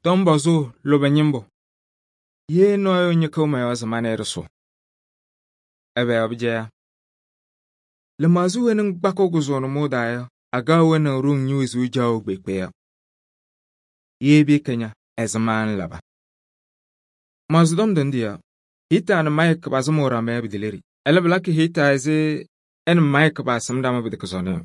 Tɔmbɔzʋʋ lʋbɛ ñɩmbʋ. Ye nɔɔyʋ ñɩkɩɣ mɔ-yɔɔ se ma nɛ ɩ ɖɩsʋ. Ɛbɛ yɔɔ pɩcɛya? Lɩmaɣzʋ weyi ŋkpakɩɣ kʋzʋʋ nʋmɔʋ daa yɔ, agaɣ wɛnaɣ ɖoŋ ñe-wezuu caɣʋ kpeekpe yɔ. Ye pɩɩkɛ ña, ɛzɩma ŋlaba? Maɣzɩ tɔm ndɩ yɔ, Hɩɩta nɛ Mayɩk pasɩmʋʋ ɖama yɔ pɩtɛlɛ. Ɛlɛ pɩlakɩ Hɩɩta ɛzɩ ɛ nɛ Mayɩk paasɩm ɖama pɩtɛkɛ sɔnɔ yɔ.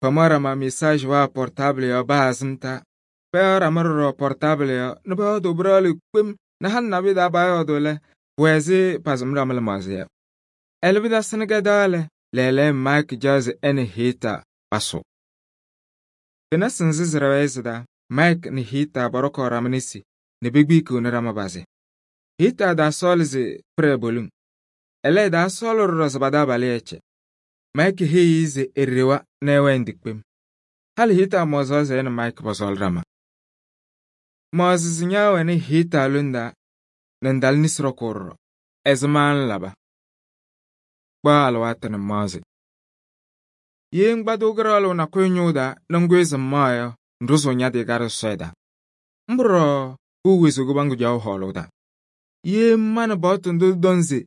Pamaɣ ɖama mesaajɩ waa pɔrtaabɩlɩ yɔ baa azɩmta. Payaɣ ɖama ɖɔɖɔ pɔrtaabɩlɩ yɔ nɛ pɔyɔɔdʋʋ pɩɖaɣlɩ kpem nɛ halɩ nabɩyɛ taa paayɔɔdʋʋ lɛ, pʋwɛ ɛzɩ pasɩm ɖama lɩmaɣzɩ yɔ. Ɛlɛ pɩtasɩnɩ kɛdaɣ lɛ, lɛɛlɛɛyɔ Mayɩk caɣ se ɛ nɛ Hɩɩta pasʋ. Fenasɩ nzɩ sɩɖɛɣɛɛ sɩ-taa, Mayɩk nɛ Hɩɩta pɔɖɔkɔɔ ɖama nesi nɛ pekpikiɣni ɖama pazɩ. Hɩɩta ɛtaasɔɔlɩ se pɩɖɛ poliŋ. Ɛlɛ ɛtaasɔɔlɩ ɖɔɖɔ se pa-taabalʋ ɛcɛ. Mayɩk heyi-i se eɖewa nɛ ɛwɛɛ ndikpem. Halɩ Hɩɩta mɔzaɣ se ɛ nɛ Mayɩk pɔsɔɔlɩ ɖama. Maɣzɩ se ña wɛnɩ Hɩɩta lone taa nɛ ŋtalɩ nesi ɖɔkʋʋ ɖɔɖɔ. Ɛzɩma ŋlaba? Kpaɣ alɩwaatʋ nɛ maɣzɩ. Ye ŋkpadɩɣ kɩɖaɣlʋ nakʋyʋ ñʋʋ taa nɛ ŋkʋyɩ se ŋmaɣ yɔ, ŋɖʋzʋʋ ña-tɩ ka ɖɩsɔsɔɔ taa. Mbʋ ɖɔɖɔ pʋʋ wezuu kɩbaŋgʋ caɣʋ hɔɔlʋʋ taa. Ye ŋmanɩ paɣtʋ ndʋ tɩtɔŋ se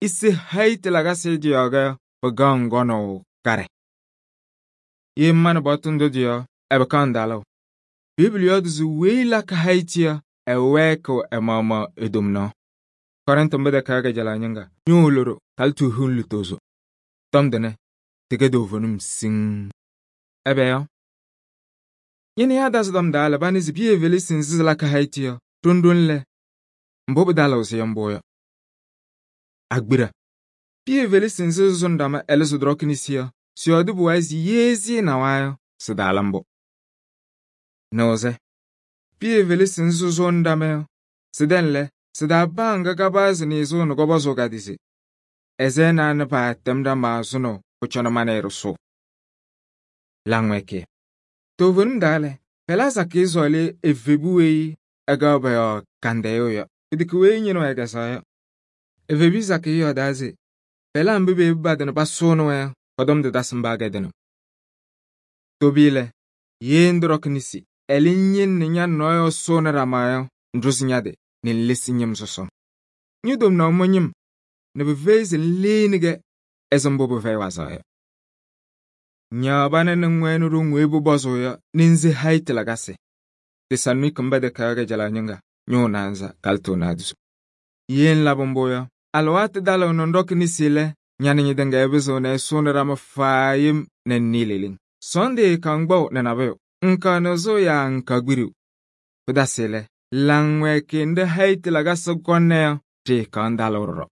ise hayi tɩ-lakasɩ dɩ-yɔɔ yɔ, pɩkaɣ ŋgɔnʋʋ karɛ. Ye ŋmanɩ paɣtʋ ndʋ dɩ-yɔɔ, ɛpɩkaɣ ŋdalʋʋ. Bɩbɩlɩ yɔɔdʋ se weyi lakɩ hayi-tɩ yɔ, ɛwɛɛkɩɣ ɛ-maɣmaɣ e-tomnaɣ. Kɔrɩntɩ mbʋ tɛkɛɣ kajalaɣ ñɩŋga, ñʋʋ loɖo kalɩ toohiŋ lutozo. Tɔm tʋnɛ tɩkɛ toovenim siŋŋ. Ɛbɛ yɔ? Ñɩnɩyaa dazɩ tɔm daa lɛ, banɩ se Pɩyɛ Felisi nzɩ sɩlakɩ hayi-tɩ yɔ, ɖoŋ-ɖoŋ lɛ, mbʋ pɩtalɩɣ se yɔ mbʋ yɔ. Agbira. Pɩyɛ Felisi nzɩ sɩsʋnɩ ɖama ɛlɛ sɩ-ɖɔkɩ nesi yɔ, sɩyɔɔdɩ pʋwayɩ se ye sɩɩnawa yɔ, sɩtaala mbʋ. Nɩwʋzɛ. Pɩyɛ Felisi nzɩ sɩsʋnɩ ɖama yɔ, sɩdɛŋ lɛ, sɩ-taa paa ŋga kabaɣzɩ nɩɩsʋʋ nɛ kɔpɔzʋʋ ka-tɩ se ɛzɩ ɛnaa nɛ paatɛm ɖama sʋnʋ pʋcɔ nɛ ma nɛ ɩ ɖɩsʋ. Laŋwɛɛkɩyɛ. Toovenim daa lɛ, pɛlaa sakɩyɛ sɔɔlɩ evebu weyi ɛgaɣ pɔ-yɔɔ kandɛyʋ yɔ. Pɩtɛkɛ weyi ñɩnɩ wɛ ɛgɛsaɣ yɔ. Evebu sakɩyɛ yɔɔdaa se pɛlaa mba beyebi badɩ nɛ pasʋʋnɩ-wɛ yɔ, pɔ-tɔm tɩtasɩ mba kɛdɩnɩ. Tobiyɛ, ye ndɩ-ɖɔkɩ nesi, ɛlɛ ŋyele nɛ ña nɔɔyʋ ɛsʋʋnɩ ɖama yɔ, ŋɖʋzɩ ña-tɩ nɛ ŋlesi ñɩm sɔsɔ. Ñe-tomnaɣ mɔ-ñɩm nɛ pɩfɛyɩ se ŋleeni-kɛ ɛzɩ mbʋ pɩfɛyɩ wazaɣ yɔ. Ñaɣ banɩ nɛ ŋwɛnɩ ɖoŋ weyi pʋpɔzʋʋ yɔ nɛ ŋse hayi tɩ-lakasɩ. Tesaloniki mba tɛkɛɣ kajalaɣ ñɩŋga, ñʋʋ naanza kalɩ toonaadɩsʋ. Ye ŋlabɩ mbʋ yɔ, alɩwaatʋ dalɩɣ nɛ ŋɖɔkɩ nesi lɛ, ña nɛ ñɩtɩŋa ɛpɩzɩɣ nɛ ɛsʋʋnɩ ɖama faayem nɛ ŋnɩɩ leleŋ. Sɔndɩ kagbaʋ nɛ nabʋyʋ, ŋkaɣ nɩɣzʋʋ yaa ŋkaɣ kpidiu. Pɩtasɩ lɛ, laŋwɛɛkɩyɛ nɖɩ hayi tɩ-lakasɩ kɔnɩ yɔ, ɖɩɩkaɣ ŋdalɩɣ ɖɔɖɔ.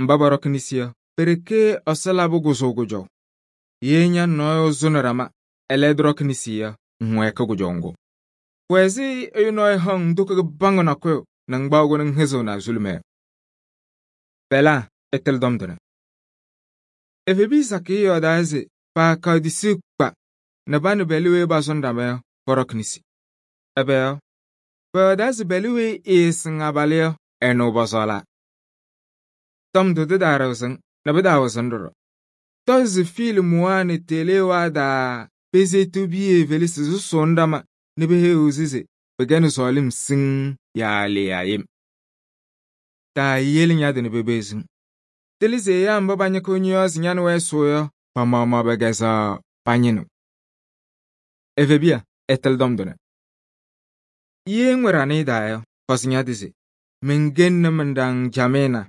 Mba pɔɖɔkɩ nesi yɔ, pe-ɖeke Ɛsɔ labɩ kʋzʋʋ kʋjɔʋ. Ye ña nɔɔyʋ zʋnɩ ɖama, ɛlɛ ɛdɩrɔkɩ nesi yɔ, ŋwɛɛkɩ kʋjɔʋ ŋgʋ. Pʋwɛ ɛzɩ ɛyʋ nɔɔyʋ haŋ ŋdʋkʋ kɩbaŋgʋ nakʋyʋ nɛ ŋgbaɣʋ nɛ ŋhɩzɩɣ nazulumɛ yɔ. Pɛlaa, ɩtɩlɩ tɔm tʋnɛ. Evebii sakɩyɛ yɔɔdaa se paakaɣ tisiu kpa nɛ ba nɛ bɛlɩ weyi basʋnɩ ɖama yɔ, pɔɖɔkɩ nesi. Ɛbɛ yɔ? Pɔyɔɔdaa se bɛlɩ weyi ɛɛsɩŋ abalɩ yɔ, ɛnʋ pɔsɔɔla. Tɔm ndʋ tɩtaarɩɣzɩŋ nɛ pɩtaawɩzɩŋ ɖɔɖɔ. Tɔ se fiilɩmʋwaa nɛ telewaa daa pesetu Pɩyɛ Felisi sʋsʋʋnɩ ɖama nɛ peheyiɣ-sɩ se pɩkɛnɩ sɔɔlɩm siŋŋ yaa le yaa yem. Taayele ña-tɩ nɛ pebeziŋ. Tɩlɩ se ɛyaa mba pañɩkɩɣ ñɩ-yɔɔ se ña nɛ wɛ ɛsʋʋ yɔ, pa-maɣmaɣ pɛkɛzɛɣ pañɩnɩɣ. Evebiya, ɛtɩlɩ tɔm tʋnɛ. Ye ŋwɛ ɖanɩyɛ daa yɔ, pɔzɩ ña-tɩ se mɩŋgenni mɩ-ɖaŋ jamɩɩna.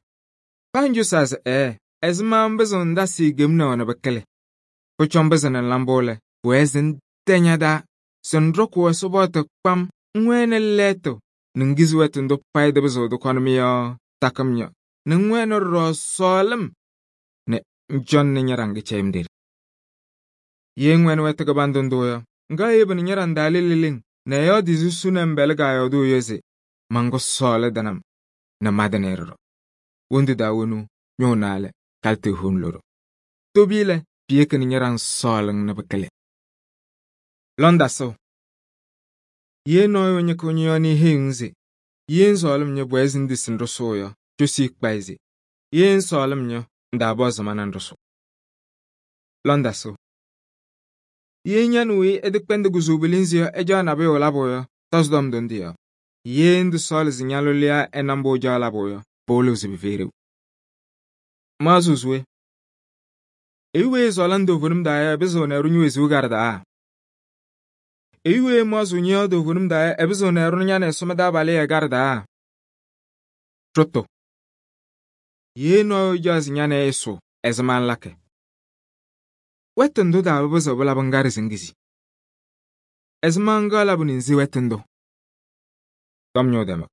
Paa ŋjosaa se ɛzɩma ŋpɩzɩɣ ŋdasɩ gemni wɛ nɛ pɩkɩlɩ. Pʋcɔ ŋpɩzɩ nɛ ŋla mbʋ lɛ, pʋwɛɛ se ŋtɛ ña-taa se ŋɖɔkɩ Ɛsɔ paɣtʋ kpam ŋwɛnɩ lɛɛtʋ nɛ ŋgizi wɛtʋ ndʋ payɩ tɩpɩzɩɣ tɩkɔnɩ-mɩ yɔ takɩm ñɔ nɛ ŋwɛnɩ ɖɔɖɔ sɔɔlɩm nɛ ŋcɔŋnɩ ña-ɖaŋ kɩcɛyɩm ɖeɖe. Ye ŋwɛnɩ wɛtʋ kɩbandʋ ndʋ yɔ, ŋga yebɩ nɛ ña-ɖaŋ daalɩ leleŋ nɛ ɛyɔɔdɩ susu nɛ ŋbɛlɩ gaayɔɔdʋʋ yɔ se maŋgʋ sɔɔlɩ dɩnɩm nɛ madɩnɩ ɖɔɖɔ. Wondu daa wonu ñʋʋ naalɛ kalɩ toohiŋ loɖo. Tobii lɛ, piyeki nɛ ña-ɖaŋ sɔɔlɩŋ nɛ pɩkɩlɩ. Lɔndasɩɣ. Ye nɔɔyʋ ñɩkɩɣ ñɩ-yɔɔ nɛ eheyiɣ se ye ŋsɔɔlɩm ñɔ pʋwɛɛ se ŋdesi ŋɖʋsʋʋ yɔ, cosi kpayɩ se ye ŋsɔɔlɩm ñɔ ŋdaapɔzɩ mana ŋɖʋsʋ. Lɔndasɩɣ. Ye ña nɛ weyi ɛtɩkpɛndɩ kʋzʋʋ pilinzi yɔ ɛjaɣ nabʋyʋ labʋ yɔ, tɔzɩ-tɔm ndʋ yɔ. Ye ndɩsɔɔlɩ se ña-lʋlɩyaa ɛna mbʋ ɩcaɣ labʋ yɔ, pɩwɩlɩɣ se pɩfɛyɩ ɖeu. Maɣzʋʋ se we? Ɛyʋ weyi ɛsɔɔlɩnɩ toovenim taa yɔ, ɛpɩzɩɣnɩ ɛɖʋ ñe-wezuu karɩdaa? Ɛyʋ weyi ɛmaɣzɩɣ ñɔ-yɔɔ toovenim taa yɔ, ɛpɩzɩɣnɩ ɛɖʋ ña nɛ Ɛsɔ mɩ-taabalɩyɛ karɩdaa? Ɖʋtʋ. Ye nɔɔyʋ ɛcaɣ se ña nɛ ɩ ɩsʋʋ, ɛzɩma ŋlakɩ? Wɛtʋ ndʋ taa pɩpɩzɩɣ pɩlabɩ ŋgaɖɛ se ŋkizi. Ɛzɩma ŋga labɩ nɛ ŋse wɛtʋ ndʋ? Tɔm ñʋʋ tɛmɛ.